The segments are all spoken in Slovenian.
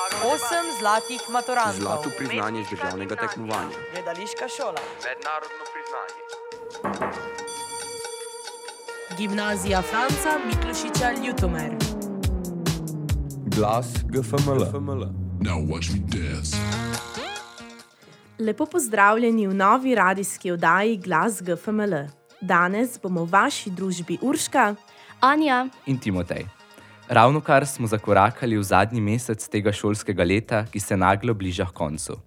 8 zlatih maturantov. Zlato priznanje z državnega tekmovanja. Gledališka šola. Mednarodno priznanje. Gimnazija Franca Miklošiča Ljutomer. Glas GFML. Now watch me dance. Lepo pozdravljeni v novi radijski oddaji Glas GFML. Danes bomo v vaši družbi Urška, Anja in Timotej. Ravnokar smo zakorakali v zadnji mesec tega šolskega leta, ki se naglo bliža h koncu.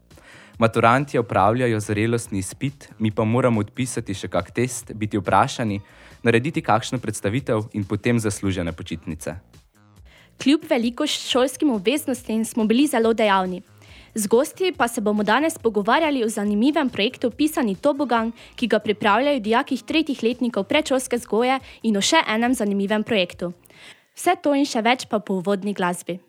Maturanti opravljajo zrelostni izpit, mi pa moramo odpisati še kak test, biti vprašani, narediti kakšno predstavitev in potem zaslužene počitnice. Kljub veliko šolskim obveznostim smo bili zelo dejavni. Z gosti pa se bomo danes pogovarjali o zanimivem projektu Pisani tobogan, ki ga pripravljajo dijaki 3. letnikov predšolske vzgoje in o še enem zanimivem projektu. Vse to in še več pa po uvodni glasbi.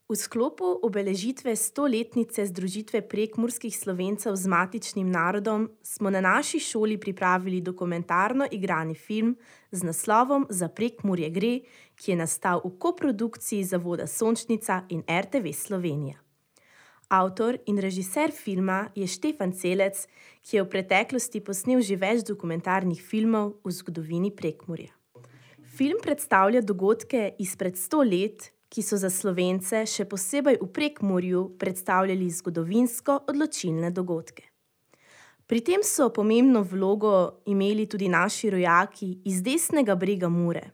V sklopu obeležitve 100-letnice združitve prekmurskih Slovencev z matičnim narodom smo na naši šoli pripravili dokumentarno igrani film z naslovom Za Prekmurje gre, ki je nastal v koprodukciji Zavoda Sončnica in RTV Slovenija. Avtor in režiser filma je Štefan Celec, ki je v preteklosti posnel že več dokumentarnih filmov v zgodovini Prekmurja. Film predstavlja dogodke izpred 100 let, ki so za Slovence, še posebej v Prekmurju, predstavljali zgodovinsko odločilne dogodke. Pri tem so pomembno vlogo imeli tudi naši rojaki iz desnega brega Mure.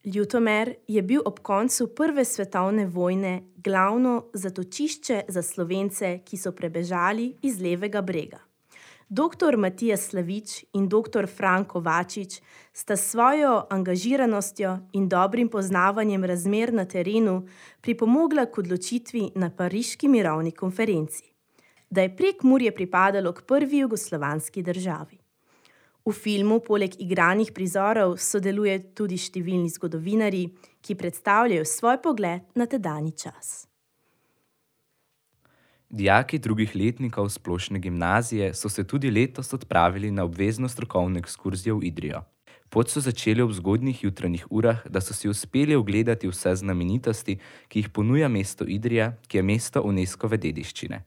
Ljutomer je bil ob koncu Prve svetovne vojne glavno zatočišče za Slovence, ki so prebežali iz levega brega. Dr. Matija Slavič in dr. Franko Vačič sta s svojo angažiranostjo in dobrim poznavanjem razmer na terenu pripomogla k odločitvi na Pariški mirovni konferenci, da je Prekmurje pripadalo k prvi jugoslovanski državi. V filmu poleg igranih prizorov sodeluje tudi številni zgodovinarji, ki predstavljajo svoj pogled na tedanji čas. Dijaki 2. letnikov splošne gimnazije so se tudi letos odpravili na obvezno strokovno ekskurzijo v Idrijo. Pot so začeli ob zgodnjih jutranjih urah, da so si uspeli ogledati vse znamenitosti, ki jih ponuja mesto Idrija, ki je mesto UNESCOve dediščine.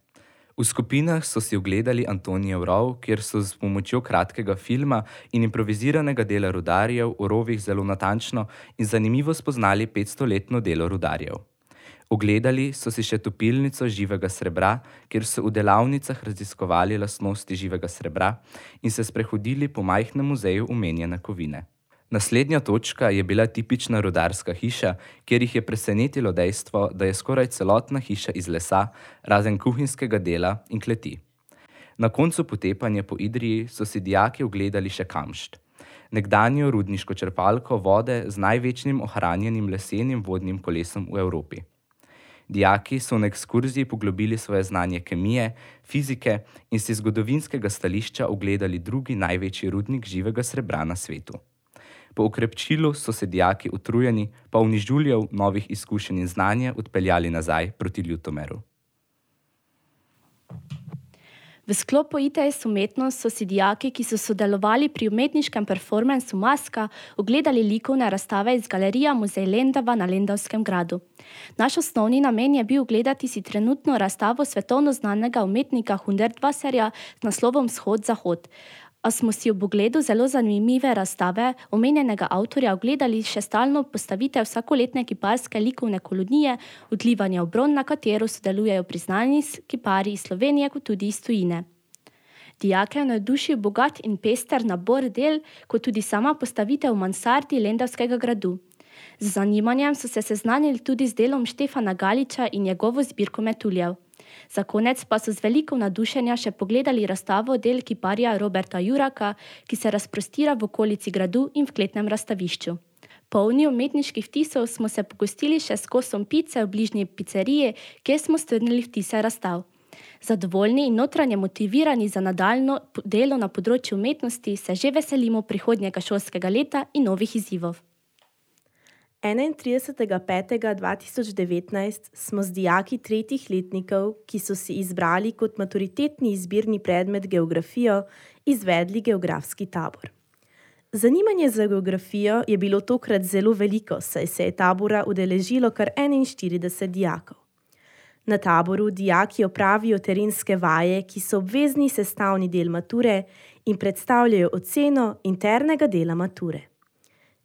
V skupinah so si ogledali Antonijev rov, kjer so s pomočjo kratkega filma in improviziranega dela rudarjev v rovih zelo natančno in zanimivo spoznali 500-letno delo rudarjev. Ogledali so si še topilnico živega srebra, kjer so v delavnicah raziskovali lastnosti živega srebra in se sprehodili po majhnem muzeju omenjene kovine. Naslednja točka je bila tipična rudarska hiša, kjer jih je presenetilo dejstvo, da je skoraj celotna hiša iz lesa, razen kuhinjskega dela in kleti. Na koncu potepanja po Idriji so si dijaki ogledali še Kamšt, nekdanjo rudniško črpalko vode z največjim ohranjenim lesenim vodnim kolesom v Evropi. Dijaki so na ekskurziji poglobili svoje znanje kemije, fizike in si zgodovinskega stališča ogledali drugi največji rudnik živega srebra na svetu. Po okrepčilu so se dijaki utrujeni, polni žuljev, novih izkušenj in znanja odpeljali nazaj proti Ljutomeru. V sklopu ITS umetnost so si dijaki, ki so sodelovali pri umetniškem performansu Maska, ogledali likovne razstave iz galerije Muzej Lendava na Lendavskem gradu. Naš osnovni namen je bil ogledati si trenutno razstavo svetovno znanega umetnika Hundertwasserja z naslovom Vzhod-Zahod. A smo si ob ogledu zelo zanimive razstave omenjenega avtorja ogledali še stalno postavitev vsakoletne kiparske likovne kolonije Odlivanje v Bron, na katero sodelujejo priznani kiparji iz Slovenije kot tudi iz tujine. Dijake je navdušil bogat in pester nabor del, kot tudi sama postavitev v mansardi Lendavskega gradu. Z zanimanjem so se seznanili tudi z delom Štefana Galiča in njegovo zbirko metuljev. Za konec pa so z veliko navdušenja še pogledali razstavo del kiparja Roberta Juraka, ki se razprostira v okolici gradu in v kletnem razstavišču. Polni umetniških vtisov smo se pogostili še s kosom pice v bližnji pizzeriji, kjer smo strnili vtise razstav. Zadovoljni in notranje motivirani za nadaljnjo delo na področju umetnosti se že veselimo prihodnjega šolskega leta in novih izzivov. 31.5.2019 smo z dijaki 3. letnikov, ki so si izbrali kot maturitetni izbirni predmet geografijo, izvedli geografski tabor. Zanimanje za geografijo je bilo tokrat zelo veliko, saj se je tabora udeležilo kar 41 dijakov. Na taboru dijaki opravijo terenske vaje, ki so obvezni sestavni del mature in predstavljajo oceno internega dela mature.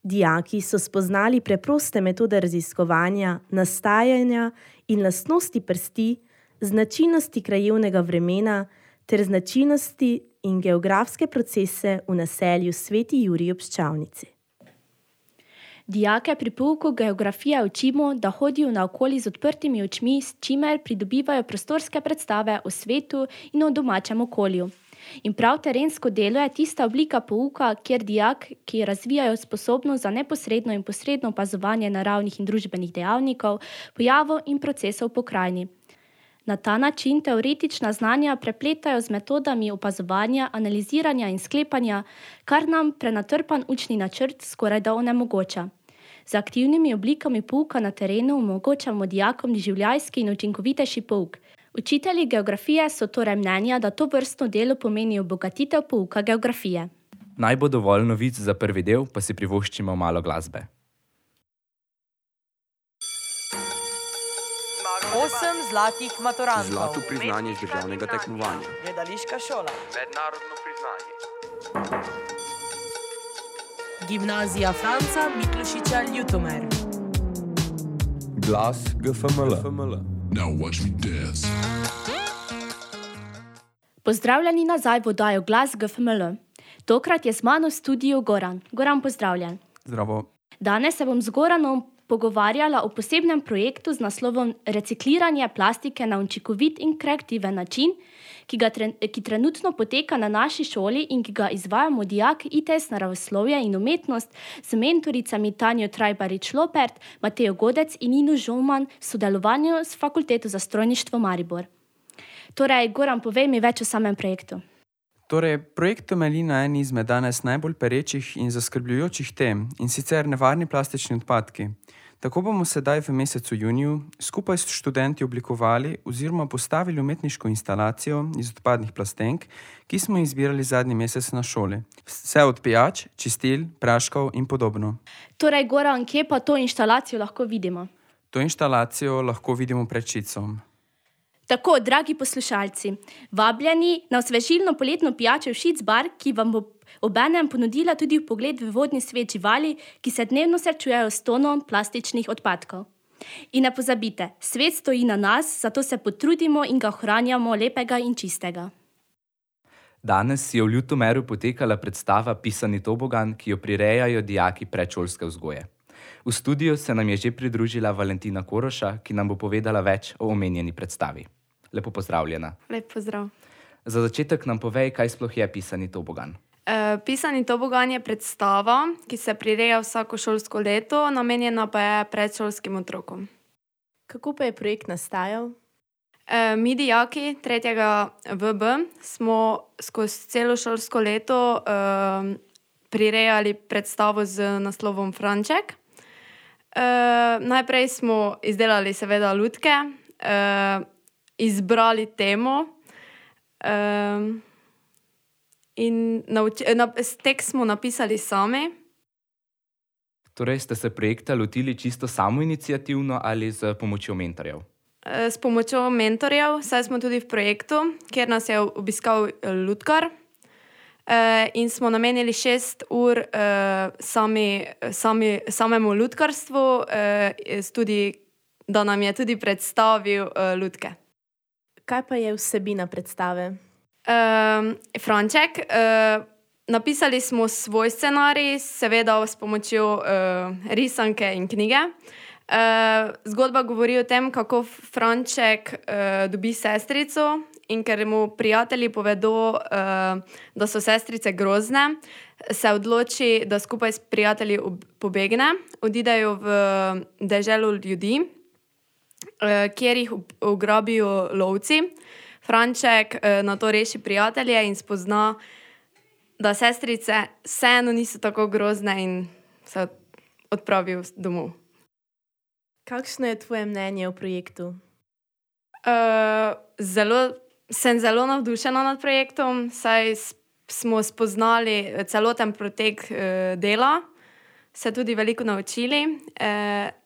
Dijaki so spoznali preproste metode raziskovanja, nastajanja in lastnosti prsti, značilnosti krajevnega vremena ter značilnosti in geografske procese v naselju Sveti Jurij ob Ščavnici. Dijake pri pouku geografije učimo, da hodijo naokoli z odprtimi očmi, s čimer pridobivajo prostorske predstave o svetu in o domačem okolju. In prav terensko delo je tista oblika pouka, kjer dijaki razvijajo sposobnost za neposredno in posredno opazovanje naravnih in družbenih dejavnikov, pojavov in procesov v pokrajini. Na ta način teoretična znanja prepletajo z metodami opazovanja, analiziranja in sklepanja, kar nam prenatrpan učni načrt skorajda onemogoča. Z aktivnimi oblikami pouka na terenu omogočamo dijakom doživljajski in učinkovitejši pouk. Učitelji geografije so torej mnenja, da to vrstno delo pomeni obogatitev pouka geografije. Naj bo dovolj novic za prvi del, pa si privoščimo malo glasbe. 8 zlatih maturantov. Zlato priznanje z državnega tekmovanja. Gledališka šola. Mednarodno priznanje. Gimnazija Franca Miklošiča Ljutomer. Glas GFML. Now watch me dance. Pozdravljeni nazaj v oddajo Glas GFML. Tokrat je z mano v studiu Goran. Goran, pozdravljen. Zdravo. Danes se bom z Goranom pogovarjala o posebnem projektu z naslovom Recikliranje plastike na učinkovit in kreativen način, ki trenutno poteka na naši šoli in ki ga izvajamo dijaki ITS naravoslovje in umetnost z mentoricami Tanjo Trajbarič-Lopert, Matejo Godec in Nino Žolman v sodelovanju s Fakulteto za strojništvo Maribor. Torej, Goran, povej mi več o samem projektu. Torej, projekt temelji na eni izmed danes najbolj perečih in zaskrbljujočih tem, in sicer nevarni plastični odpadki. Tako bomo sedaj v mesecu juniju skupaj s študenti oblikovali oziroma postavili umetniško instalacijo iz odpadnih plastenk, ki smo jih zbirali zadnji mesec na šoli. Vse od pijač, čistil, praškov in podobno. Torej, Goran, kje pa to instalacijo lahko vidimo? To instalacijo lahko vidimo pred Šicom. Tako, dragi poslušalci, vabljeni na osvežilno poletno pijačo Šic bar, ki vam bo obenem ponudila tudi vpogled v vodni svet živali, ki se dnevno srečujejo s tonom plastičnih odpadkov. In ne pozabite, svet stoji na nas, zato se potrudimo in ga ohranjamo lepega in čistega. Danes je v Ljutomeru potekala predstava Pisani tobogan, ki jo prirejajo dijaki predšolske vzgoje. V studiu se nam je že pridružila Valentina Koroša, ki nam bo povedala več o omenjeni predstavi. Lepo pozdravljena. Lep pozdrav. Za začetek nam povej, kaj sploh je Pisani tobogan. Pisani tobogan je predstava, ki se prireja vsako šolsko leto, namenjena pa je predšolskim otrokom. Kako pa je projekt nastajal? Mi dijaki 3. VB smo skozi celo šolsko leto prirejali predstavo z naslovom Franček. Najprej smo izdelali seveda lutke, izbrali temo in tekst smo napisali sami. Torej ste se projekta lotili čisto samoiniciativno ali z pomočjo mentorjev? S pomočjo mentorjev, saj smo tudi v projektu, kjer nas je obiskal lutkar in smo namenili 6 ur samemu lutkarstvu, tudi, da nam je tudi predstavil lutke. Kaj pa je vsebina predstave? Franček. Napisali smo svoj scenarij, seveda s pomočjo risanke in knjige. Zgodba govori o tem, kako Franček dobi sestrico in ker mu prijatelji povedo, da so sestrice grozne, se odloči, da skupaj s prijatelji pobegne, odidejo v deželo ljudi, kjer jih ugrabijo lovci. Franček na to reši prijatelje in spozna, da sestrice vseeno niso tako grozne in se odpravijo domov. Kakšno je tvoje mnenje o projektu? Sem zelo navdušena nad projektom, saj smo spoznali celoten potek dela, se tudi veliko naučili.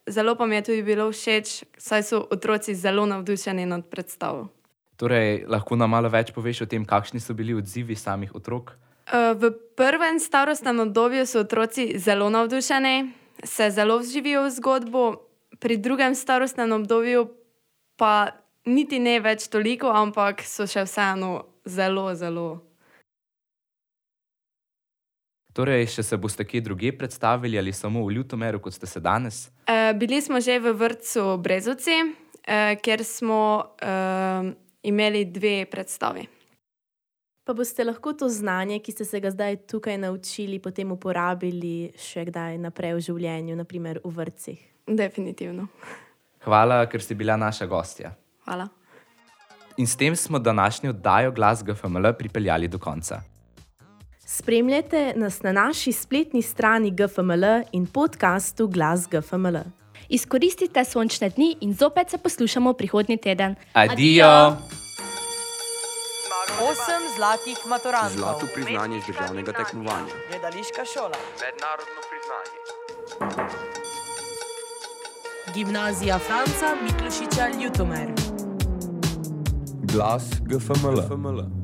Zelo pa mi je tudi bilo všeč, saj so otroci zelo navdušeni nad predstavo. Torej, lahko nam malo več poveš o tem, kakšni so bili odzivi samih otrok? V prvem starostnem obdobju so otroci zelo navdušeni, se zelo vživijo v zgodbo, pri drugem starostnem obdobju pa niti ne več toliko, ampak so še vseeno zelo. Torej, še se boste kje drugje predstavili ali samo v Ljutomeru, kot ste se danes? Bili smo že v vrtcu Brezovci, kjer smo imeli 2 predstavi. Pa boste lahko to znanje, ki ste se ga zdaj tukaj naučili, potem uporabili še kdaj naprej v življenju, naprimer v vrtcih? Definitivno. Hvala, ker si bila naša gostja. Hvala. In s tem smo današnjo oddajo Glas GFML pripeljali do konca. Spremljajte nas na naši spletni strani GFML in podcastu Glas GFML. Izkoristite sončne dni in zopet se poslušamo prihodnji teden. Adijo! 8 zlatih maturantov. Zlato priznanje z državnega tekmovanja. Gledališka šola. Mednarodno priznanje. Gimnazija Franca Miklošiča Ljutomer. Glas GFML.